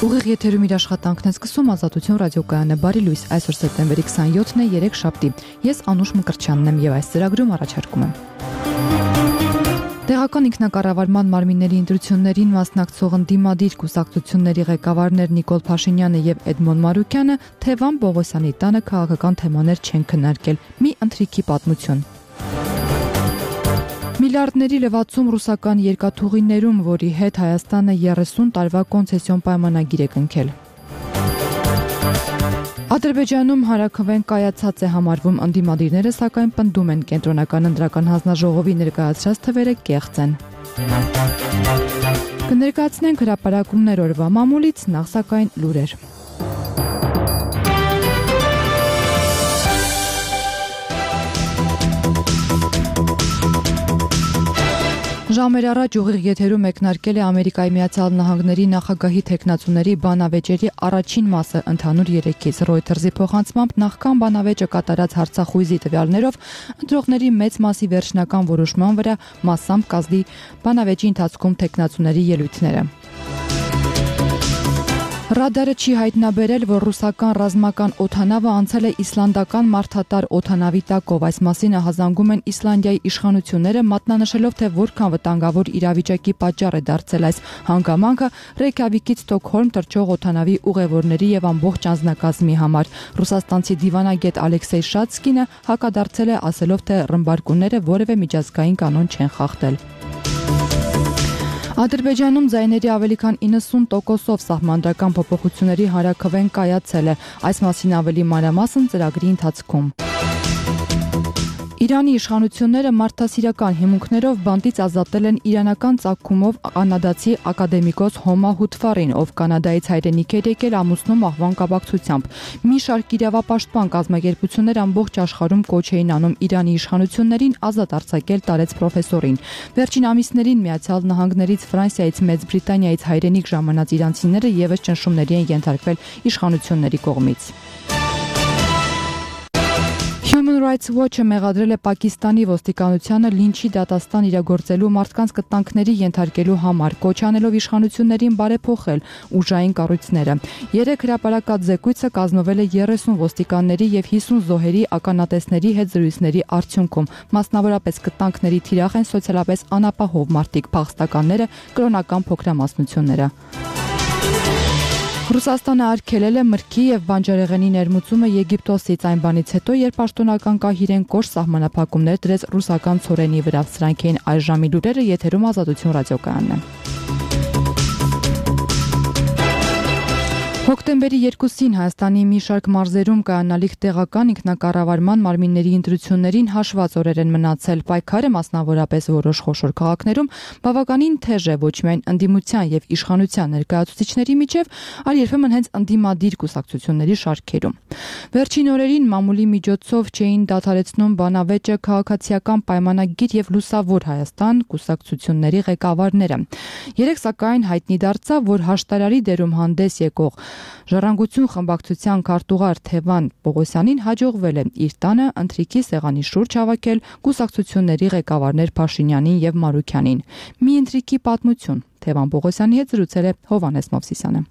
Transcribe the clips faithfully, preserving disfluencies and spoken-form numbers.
Ուղիղ եթերում իր աշխատանքն է սկսում Ազատություն ռադիոկայանը բարի լույս այսօր սեպտեմբերի քսանյոթն է երեք շաբթի ես Անուշ Մկրտչյանն եմ եւ այս ծրագրում առաջարկում եմ Տեղական ինքնակառավարման մարմինների ընտրություններին մասնակցող ընդդիմադիր կուսակցությունների ղեկավարներ Նիկոլ Փաշինյանը եւ Էդմոն Մարուկյանը Թևան Պողոսյանի տանը քաղաքական թեմաներ չեն քննարկել մի ընթրիքի պատմություն Միլիարդների լվացում ռուսական երկաթուղիներում, որի հետ Հայաստանը երեսուն տարվա կոնցեսիոն պայմանագիր է կնքել։ Ադրբեջանում հարաքվեն կայացած է համարվում ընդդիմադիրները, սակայն պնդում են կենտրոնական ընտրական հանձնաժողովի ներկայացրած թվերը կեղծ են։ Կներկայացնենք հրապարակումներ օրվա մամուլից, նախ սակայն լուրեր։ Ժամեր առաջ ուղիղ եթերում մեկնարկել է Ամերիկայի Միացյալ Նահանգների նախագահի թեկնածուների բանավեճերի առաջին մասը ընդհանուր երեքից Reuters-ի փոխանցմամբ նախքան բանավեճը կատարած հարցախույզի տվյալներով ընտրողների մեծ մասի վերջնական որոշման վրա մասամբ կազդի բանավեճի ընթացքում թեկնածուների ելույթները Ռադարը չի հայտնաբերել, որ ռուսական ռազմական օդանավը անցել է իսլանդական մարդատար օդանավի տակով։ Այս մասին ահազանգում են Իսլանդիայի իշխանությունները, մատնանշելով, թե որքան վտանգավոր իրավիճակի պատճառ է դարձել այս հանգամանքը Ռեյքյավիկից Ստոկհոլմ թռչող օդանավի ուղևորների եւ ամբողջ անձնակազմի համար։ Ռուսաստանցի դիվանագետ Ալեքսեյ Շատսկինը հակադարձել է, ասելով, թե ռմբարկունները որևէ միջազգային կանոն չեն խախտել։ Ադրբեջանում ձայների ավելի քան իննսուն տոկոսով սահմանադրական փոփոխությունների հարաքվեն կայացել է, այս մասին ավելի մանրամասն ծրագրի ընթացքում։ Իրանի իշխանությունները մարդասիրական հիմունքներով բանտից ազատել են իրանական ծագումով կանադացի ակադեմիկոս Հոմա Հութֆարին, ով Կանադայից հայրենիք էր եկել ամուսնու մահվան կապակցությամբ։ Մի շարք իրավապաշտպան կազմակերպություններ ամբողջ աշխարհում կոչ էին անում Իրանի իշխանություններին ազատ արձակել տարեց պրոֆեսորին։ Վերջին ամիսներին Միացյալ Նահանգներից, Ֆրանսիայից, Մեծ Բրիտանիայից հայրենիք ժամանած իրանցիները ևս ճնշումների են ենթարկվել իշխանությունների կողմից։ Human Rights Watch-ը մեղադրել է Պակիստանի ոստիկանությանը լինչի դատաստան իրագործելու մարդկանց կտանքների ենթարկելու համար, կոչ անելով իշխանություններին բարեփոխել ուժային կառույցները։ Երեք հրապարակած զեկույցը կազմվել է երեսուն ոստիկանների եւ հիսուն զոհերի ականատեսների հետ զրույցների արդյունքում։ Մասնավորապես կտանքների թիրախ են սոցիալապես անապահով մարդիկ, փախստականները, կրոնական փոքրամասնությունները։ Ռուսաստանը արգելել է մրգի եւ բանջարեղենի ներմուծումը Եգիպտոսից այն բանից հետո, երբ պաշտոնական կահիրեն կոշտ սահմանափակումներ դրեց ռուսական ցորենի վրա։ Սրանք էին այս ժամի լուրերը, եթերում Ազատություն ռադիոկայանն է։ Հոկտեմբերի երկուսին Հայաստանի մի շարք մարզերում կայանալիք տեղական ինքնակառավարման մարմինների ընտրություններին հաշված օրեր են մնացել։ Պայքարը մասնավորապես որոշ խոշոր քաղաքներում բավականին թեժ է ոչ միայն ընդդիմության եւ իշխանության ներկայացուցիչների միջև, այլ երբեմն հենց ընդդիմադիր կուսակցությունների շարքերում։ Վերջին օրերին մամուլի միջոցով չէին դադարեցնում բանավեճը քաղաքացիական պայմանագիր եւ լուսավոր Հայաստան կուսակցությունների ղեկավարները։ Երեք սակայն հայտնի դարձավ, որ հաշտարարի դերում հանդես եկող Ժառանգություն խմբակցության քարտուղար Թևան Պողոսյանին հաջողվել է իր տանը ընթրիքի սեղանի շուրջ հավաքել կուսակցությունների ղեկավարներ Փաշինյանին եւ Մարուկյանին։ Մի ընթրիքի պատմություն Թևան Պողոսյանի հետ զրուցել է Հովհաննես Մովսիսյանը։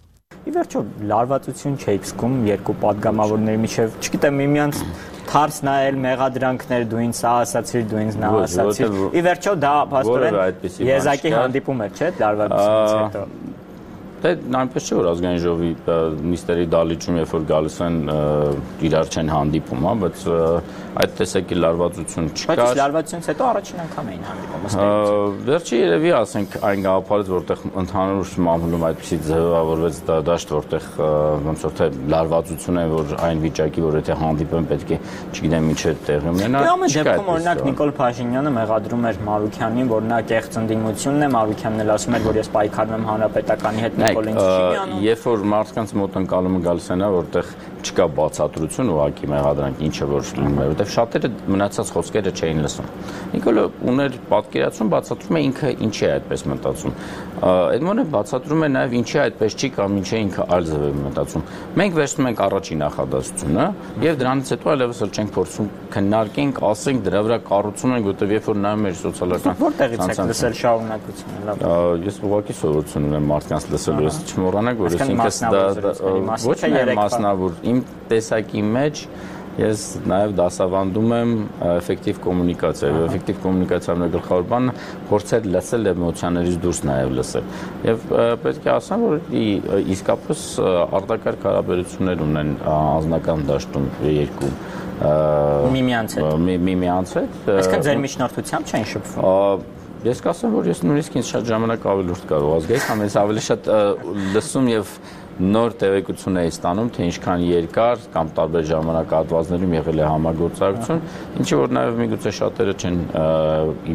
Ի վերջո լարվածություն չէիք զգում երկու падգամավորների միջև, չգիտեմ, միմյանց թարս նայել, մեղադրանքներ, դու ինձ սա ասացիր, դու ինձ նա ասացիր։ Ի վերջո դա փաստորեն եզակի հանդիպում էր, չէ՞, լարվածությունից հետո։ Դե այնպես չէ, որ ազգային ժողովի նիստերի դալիճում երբ որ գալիս են իրար չեն հանդիպում, հա, բայց այդ տեսակի լարվածություն չկա։ Բայց լարվածությունից հետո առաջին անգամ էին հանդիպում, ըստ էության։ Վերջի երևի ասենք այն գաղափարից, որտեղ ընդհանուր մամուլում այդպեսի ձևավորվեց դաշտ, որտեղ ոնց որ թե լարվածություն է, որ այն վիճակի, որ եթե հանդիպեն պետք է, չգիտեմ, ինչ է տեղի ունենա։ Դե ամեն դեպքում օրինակ Նիկոլ Փաշինյանը մեղադրում էր Մարուկյանին, որ նա կեղծ ընդդիմությունն է, Մարուկյանն էլ ասում էր, որ ես պայքարում եմ հանրապետականի հետ։ Երբ որ մարդկանց մոտ ընկալումը գալիս է նա, որտեղ չկա բացատրություն ուղղակի մեղադրանք, ինչը որ լինում է, որտեղ շատերը մնացած խոսքերը չէին լսում։ Նիկոլը ուներ պատկերացում, բացատրում է ինքը ինչի է այդպես մտածում։ Էդմոնը բացատրում է նաև ինչի այդպես չի կամ ինչի ինքը այլ ձև է մտածում։ Մենք վերցնում ենք առաջին նախադասությունը եւ դրանից հետո այլևս էլ չենք փորձում քննարկենք, ասենք դրա վրա կառուցում ենք, որտեղ երբ որ նայում ես սոցիալական որտեղից եք լսել շարունակությունը, լավ։ Ես ուղղակի սովորություն ունեմ մարդկանց լսելու ես չմոռանաք, որ ես ինքս դա ոչ միայն մասնավոր, իմ տեսակի մեջ ես նաև դասավանդում եմ էֆեկտիվ կոմունիկացիա, եւ էֆեկտիվ կոմունիկացիայի գլխավոր բանը փորձել լսել էմոցիաներից դուրս նաև լսել։ Եվ պետք է ասեմ, որ իսկապես արտակարգ հարաբերություններ ունեն անձնական դաշտում երկու միմյանց հետ։ Միմյանց հետ։ Այսինքն ձեր միջնորդությամբ չեն շփվում։ Ես կասեմ, որ ես նույնիսկ ինձ շատ ժամանակ ավելի լուրջ կարող ազգայից, կամ ես ավելի շատ լսում եւ նոր տեղեկություն էի ստանում, թե ինչքան երկար կամ տարբեր ժամանակահատվածներում եղել է համագործակցություն, ինչի որ նաև միգուցե շատերը չեն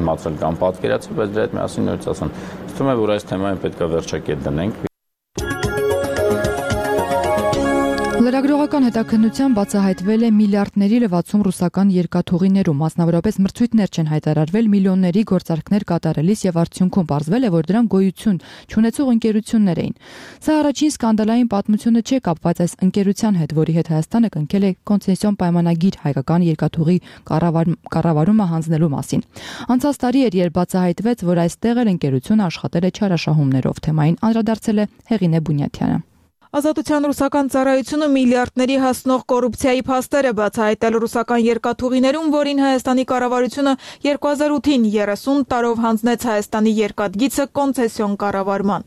իմացել կամ պատկերացել, բայց դրա հետ միասին նորից ասեմ, թվում է, որ այս թեմային պետք է վերջակետ դնենք։ Լրագրողական հետաքննության բացահայտվել է միլիարդների լվացում ռուսական երկաթուղիներում, մասնավորապես մրցույթներ չեն հայտարարվել միլիոնների գործարքներ կատարելիս եւ արդյունքում պարզվել է, որ դրանք գոյություն չունեցող ընկերություններ էին։ Սա առաջին սկանդալային պատմությունը չէ կապված այս ընկերության հետ, որի հետ Հայաստանը կնքել է կոնցեսիոն պայմանագիր հայկական երկաթուղի կառավարումը հանձնելու մասին։ Անցած տարի էր, երբ բացահայտվեց, որ այստեղ էլ ընկերությունը աշխատել է չարաշահումներով։ Թեմային անդրադարձել է Հեղինե Բունյաթյանը։ Ազատության ռուսական ծառայությունը միլիարդների հասնող կոռուպցիայի փաստեր է բացահայտել ռուսական երկաթուղիներում, որին Հայաստանի կառավարությունը երկու հազար ութին երեսուն տարով հանձնեց Հայաստանի երկաթգիծը կոնցեսիոն կառավարման։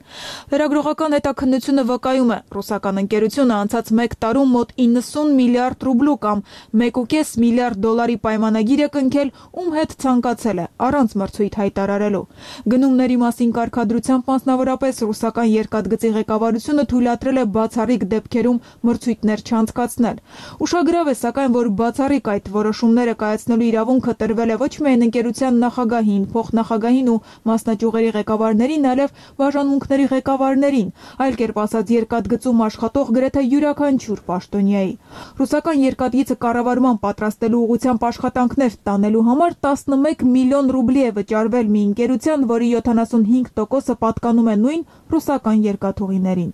Լրագրողական հետաքննությունը վկայում է, ռուսական ընկերությունը անցած մեկ տարում մոտ իննսուն միլիարդ ռուբլու կամ մեկ ու կես միլիարդ դոլարի պայմանագիր է կնքել, ում հետ ցանկացել է, առանց մրցույթ հայտարարելու։ Գնումների մասին կարգադրությամբ մասնավորապես ռուսական երկաթգծի ղեկավարությունը թույլատրել է բացառիկ դեպքերում մրցույթներ չանցկացնել։ Ուշագրավ է, սակայն, որ բացառիկ այդ որոշումները կայացնելու իրավունքը տրվել է ոչ միայն ընկերության նախագահին, փոխնախագահին ու մասնաճյուղերի ղեկավարներին, այլև բաժանմունքների ղեկավարներին, այլ կերպ ասած երկաթգծում աշխատող գրեթե յուրաքանչյուր պաշտոնյայի։ Ռուսական երկաթգիծը կառավարման պատրաստելու ուղղությամբ աշխատանքներ տանելու համար տասնմեկ միլիոն ռուբլի է վճարվել մի ընկերության, որի յոթանասունհինգ տոկոսը պատկանում է նույն ռուսական երկաթուղիներին։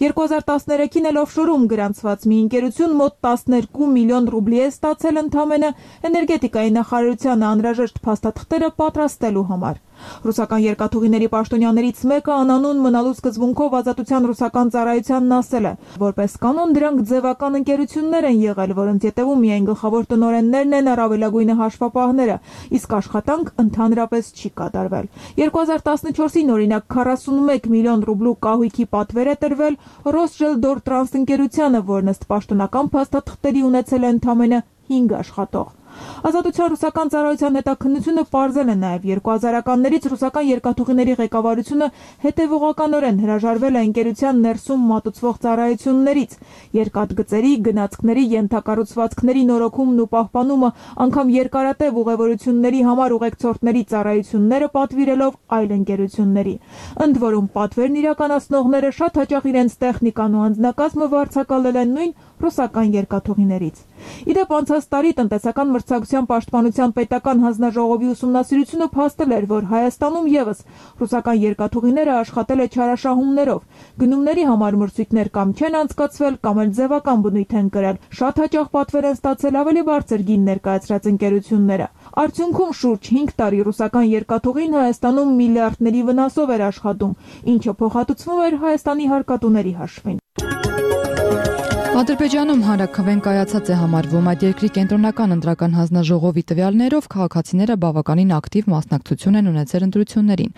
երկու հազար տասներեքին էլ օֆշորում գրանցված մի ընկերություն մոտ տասներկու միլիոն ռուբլի է ստացել ընդամենը էներգետիկայի նախարարությանը անհրաժեշտ փաստաթղթերը պատրաստելու համար։ Ռուսական երկաթուղիների պաշտոնյաներից մեկը անանուն մնալու սկզբունքով Ազատության ռուսական ծառայությանն ասել է, որպես կանոն դրանք ձևական ընկերություններ են եղել, որոնց ետևում միայն գլխավոր տնօրեններն են, առավելագույնը հաշվապահները, իսկ աշխատանք ընդհանրապես չի կատարվել։ երկու հազար տասնչորսին օրինակ քառասունմեկ միլիոն ռուբլու կահույքի պատվեր է տրվել Ռոսժելդորտրանս ընկերությանը, որն ըստ պաշտոնական փաստաթղթերի ունեցել է ընդամենը հինգ աշխատող։ Ազատության ռուսական ծառայության հետաքննությունը պարզել է նաև երկու հազարականներից ռուսական երկաթուղիների ղեկավարությունը հետևողականորեն հրաժարվել է ընկերության ներսում մատուցվող ծառայություններից, երկաթգծերի, գնացքների, ենթակառուցվածքների նորոգումն ու պահպանումը, անգամ երկարատև ուղևորությունների համար ուղեկցորդների ծառայությունները պատվիրելով այլ ընկերությունների։ Ընդ որում պատվերն իրականացնողները շատ հաճախ իրենց տեխնիկան ու անձնակազմը վարձակալել են նույն ռուսական երկաթուղիներից։ Իդեպ անցած տարի տնտեսական մրցակցության պաշտպանության պետական հանձնաժողովի ուսումնասիրությունը փաստել էր, որ Հայաստանում եւս ռուսական երկաթուղիները աշխատել է չարաշահումներով, գնումների համար մրցույթներ կամ չեն անցկացվել, կամ էլ ձևական բնույթ են կրել, շատ հաճախ պատվեր են ստացել ավելի բարձր գին ներկայացրած ընկերությունները։ Արդյունքում շուրջ հինգ տարի ռուսական երկաթուղին Հայաստանում միլիարդների վնասով էր աշխատում, ինչը փոխհատուցվում էր Հայաստանի հարկատուների հաշվին։ Ադրբեջանում հանրաքվեն կայացած է համարվում այդ երկրի կենտրոնական ընտրական հանձնաժողովի տվյալներով քաղաքացիները բավականին ակտիվ մասնակցություն են ունեցել ընտրություններին։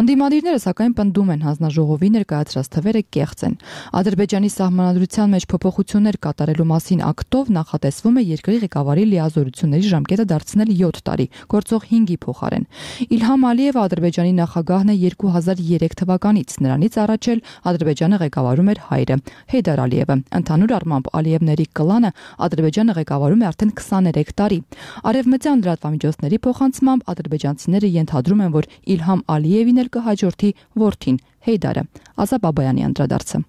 Ընդդիմադիրները սակայն պնդում են հանձնաժողովի ներկայացրած թվերը կեղծ են։ Ադրբեջանի սահմանադրության մեջ փոփոխություններ կատարելու մասին ակտով նախատեսվում է երկրի ղեկավարի լիազորությունների ժամկետը դարձնել յոթ տարի, գործող հինգի փոխարեն։ Իլհամ Ալիևը Ադրբեջանի նախագահն է երկու հազար երեք թվականից, նրանից առաջ էլ Ադրբեջանը ղեկավարում էր հայրը Հեյդար Ալիևը։ Ընդհանուր Ալիևների կլանը Ադրբեջանը ղեկավարում է արդեն քսաներեք տարի։ Արևմտյան լրատվամիջոցների փոխանցմամբ ադրբեջանցիները ենթադրում են, որ Իլհամ Ալիևին էլ կհաջորդի որդին Հեյդարը։ Ազա Բաբայանի անդրադարձը։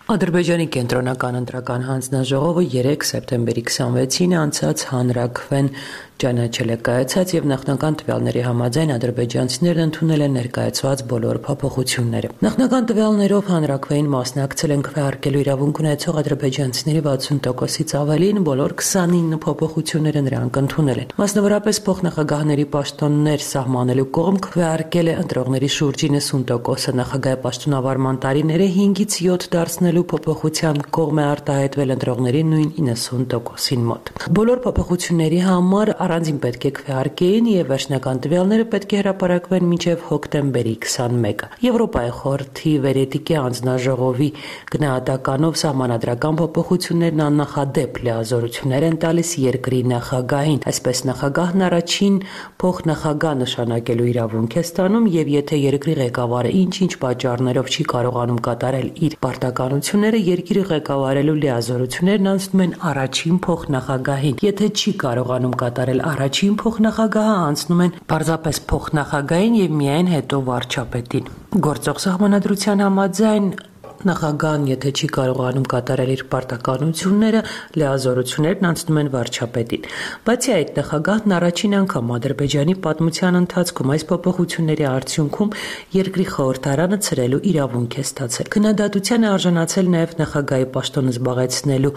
Ադրբեջանի կենտրոնական ընտրական հանձնաժողովը երեկ սեպտեմբերի քսանվեցին անցած հանրաքվեն ճանաչել է կայացած եւ նախնական տվյալների համաձայն ադրբեջանցիներն ընդունել են ներկայացված բոլոր փոփոխությունները։ Նախնական տվյալներով հանրաքվեին մասնակցել են քվեարկելու իրավունք ունեցող ադրբեջանցիների վաթսուն տոկոսից ավելին, բոլոր քսանինը փոփոխությունները նրանք ընդունել են։ Մասնավորապես փոխնախագահների պաշտոններ սահմանելու կողմ քվեարկել է ընտրողների շուրջ իննսուն տոկոսը, նախագահի պաշտոնավարման տարիները հինգից յոթ դարձնելու փոփոխության կողմ է արտահայտվել ընտրողների նույն իննսուն տոկոսին մոտ։ Բոլոր փոփոխությունների համար առանձին պետք է քվեարկեին եւ վերջնական տվյալները պետք է հրապարակվեն մինչեւ հոկտեմբերի քսանմեկը։ Եվրոպայի խորհրդի վերետիկի անձնաժողովի գնահատականով սահմանադրական փոփոխություններն աննախադեպ լիազորություններ են տալիս երկրի նախագահին։ Այսպես նախագահն առաջին փոխնախագահ նշանակելու իրավունք է ստանում եւ եթե երկրի ղեկավարը ինչ-ինչ պատճառներով չի կարողանում կատարել իր պարտականությունները, երկիրը ղեկավարելու լիազորություններն անցնում են առաջին փոխնախագահին։ Եթե չի կարողանում կատարել առաջին փոխնախագահը, անցնում են պարզապես փոխնախագահին եւ միայն հետո վարչապետին։ Գործող սահմանադրության համաձայն նախագահն, եթե չի կարողանում կատարել իր պարտականությունները, լիազորություններն անցնում են վարչապետին։ Բացի այդ, նախագահն առաջին անգամ Ադրբեջանի պատմության ընթացքում այս փոփոխությունների արդյունքում երկրի խորհրդարանը ցրելու իրավունք է ստացել։ Քննադատության է արժանացել նաև նախագահի պաշտոնը զբաղեցնելու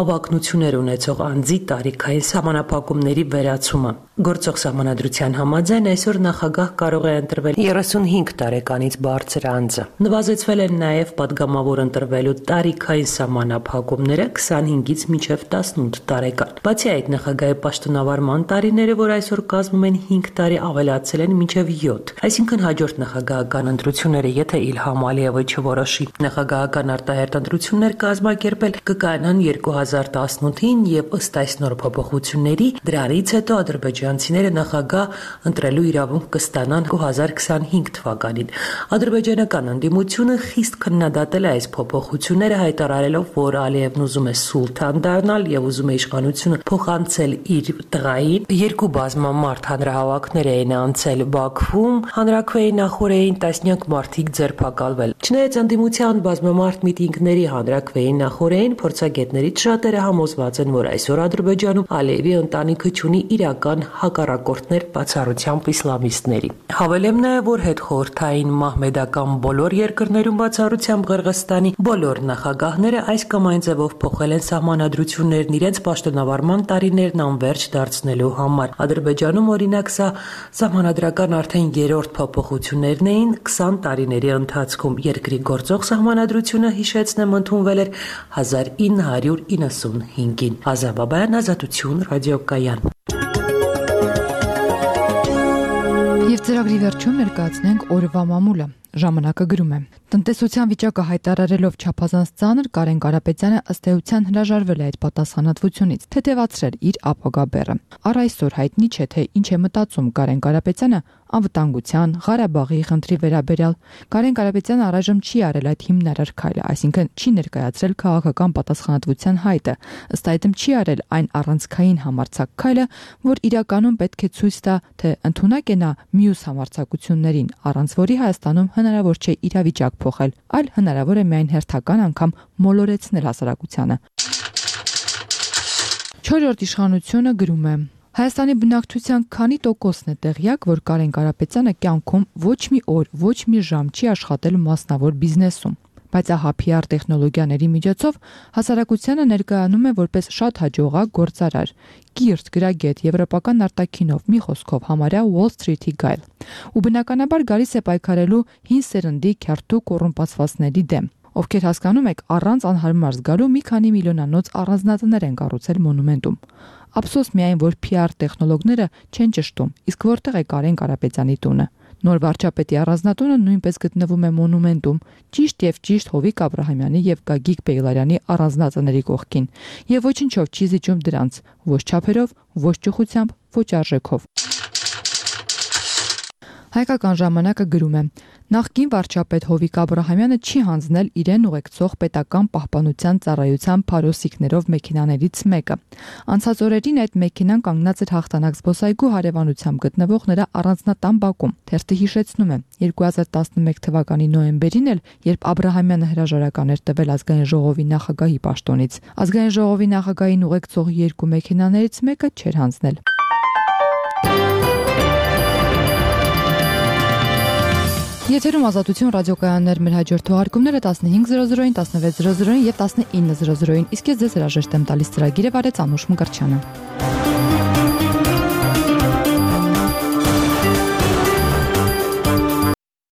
հավակնություններ ունեցող անձի տարիքային սահմանափակումների վերացումը։ Գործող սահմանադրության համաձայն այսօր նախագահ կարող է ընտրվել երեսունհինգ տարեկանից բարձր անձը։ Նվազեցվել են նաև պատգամավոր ընտրվելու տարիքային սահմանափակումները քսանհինգից մինչև տասնութ տարեկան։ Բացի այդ, նախագահի պաշտոնավարման տարիները, որ այսօր կազմում են հինգ տարի, ավելացել են մինչև յոթ։ Այսինքն հաջորդ նախագահական ընտրությունները, եթե Իլհամ Ալիևը չորոշի նախագահական արտահերթ ընտրություններ կազմակերպել, կկայանան երկու հազար տասնութին եւ ըստ այս նոր փոփոխությունների դրանից հետո ադրբեջանցիները նախագահ ընտրելու իրավունք կստանան երկու հազար քսանհինգ թվականին։ Ադրբեջանական ընդդիմությունը խիստ քննադատել է այս փոփոխությունները, հայտարարելով, որ Ալիևն ուզում է սուլթան դառնալ եւ ուզում է իշխանությունը փոխանցել իր տղային։ Երկու բազմամարդ հանրահավաքներ էին անցել Բաքվում, հանրաքվեի նախօրեին տասնյակ մարդիկ ձերբակալվել։ Չնայած ընդդիմության բազմամարդ միտինգների հանրաքվեի նախօրեին, փորձագետներից շատերը համոզված են, որ այսօր Ադրբեջանում Ալիևի ընտանիքը ունի իրական հակառակորդներ, բացառությամբ իսլամիստների։ Հավելեմ նաեւ, որ հետխորհրդային մահմեդական բոլոր երկրներում բացառությամբ Ղրղստանի բոլոր նախագահները այս կամ այն ձևով փոխել են սահմանադրություններն իրենց պաշտոնավարման տարիներն անվերջ դարձնելու համար։ Ադրբեջանում, օրինակ, սա սահմանադրական արդեն երրորդ փոփոխություններն էին քսան տարիների ընթացքում։ Երկրի գործող սահմանադրությունը, հիշեցնեմ, ընդունվել էր հազար ինը հարյուր իննսունհինգին։ Ազաբաբայան, Ազատություն, ռադիոկայան։ Եվ ծրագրի վերջում ներկայացնենք օրվա մամուլը։ Ժամանակը գրում է. Տնտեսության վիճակը հայտարարելով չափազանց ծանր, Կարեն Կարապետյանը ըստ էության հրաժարվել է այդ պատասխանատվությունից, թեթևացրել իր ապագա բեռը։ Առ այսօր հայտնի չէ, թե ինչ է մտածում Կարեն Կարապետյանը անվտանգության, Ղարաբաղի խնդրի վերաբերյալ։ Կարեն Կարապետյանը առայժմ չի արել այդ հիմնարար քայլը, այսինքն չի ներկայացրել քաղաքական պատասխանատվության հայտը, ըստ այդմ չի արել այն առանցքային համարձակ քայլը, որ իրականում պետք է ցույց տա, թե ընդունակ է նա մյուս համարձակություններին, առանց որի Հայաստանում հնարավոր չէ իրավիճակ փոխել, այլ հնարավոր է միայն հերթական անգամ մոլորեցնել հասարակությանը։ Չորրորդ իշխանությունը գրում է. Հայաստանի բնակչության քանի տոկոսն է տեղյակ, որ Կարեն Կարապետյանը կյանքում ոչ մի օր, ոչ մի ժամ չի աշխատել մասնավոր բիզնեսում, բայց ահա փի ար տեխնոլոգիաների միջոցով հասարակությանը ներկայանում է որպես շատ հաջողակ գործարար, կիրթ, գրագետ, եվրոպական արտաքինով, մի խոսքով համարյա Wall Street-ի գայլ։ Ու բնականաբար գալիս է պայքարելու հին սերնդի քյարթու կոռումպացվածների դեմ, ովքեր հասկանում եք առանց անհարմար զգալու մի քանի միլիոնանոց առանձնատներ են կառուցել մոնումենտում։ Ափսոս միայն, որ փի ար տեխնոլոգները չեն ճշտում, իսկ որտեղ է Կարեն Կարապետյանի տունը։ Նոր վարչապետի առանձնատունը նույնպես գտնվում է մոնումենտում, ճիշտ եւ ճիշտ Հովիկ Աբրահամյանի եւ Գագիկ Բեգլարյանի առանձնատների կողքին, եւ ոչինչով չի զիջում դրանց, ոչ չափերով, ոչ ճոխությամբ, ոչ արժեքով։ Հայկական ժամանակը գրում է. Նախկին վարչապետ Հովիկ Աբրահամյանը չի հանձնել իրեն ուղեկցող պետական պահպանության ծառայության փարոսիկներով մեքենաներից մեկը։ Անցած օրերին այդ մեքենան կանգնած էր հաղթանակ զբոսայգու հարևանությամբ գտնվող նրա առանձնատան բակում։ Թերթը հիշեցնում է. երկու հազար տասնմեկ թվականի նոյեմբերին էլ, երբ Աբրահամյանը հրաժարական էր տվել ազգային ժողովի նախագահի պաշտոնից, ազգային ժողովի նախագահին ուղեկցող երկու մեքենաներից մեկը չէր հանձնել։ Եթերում Ազատություն ռադիոկայաններ, մեր հաջորդ թողարկումները տասնհինգ զրո զրոին, տասնվեց զրո զրոին եւ տասնինը զրո զրոին։ Իսկ ես ձեզ հրաժեշտ եմ տալիս ծրագիրը վարեց Անուշ Մկրտչյանը։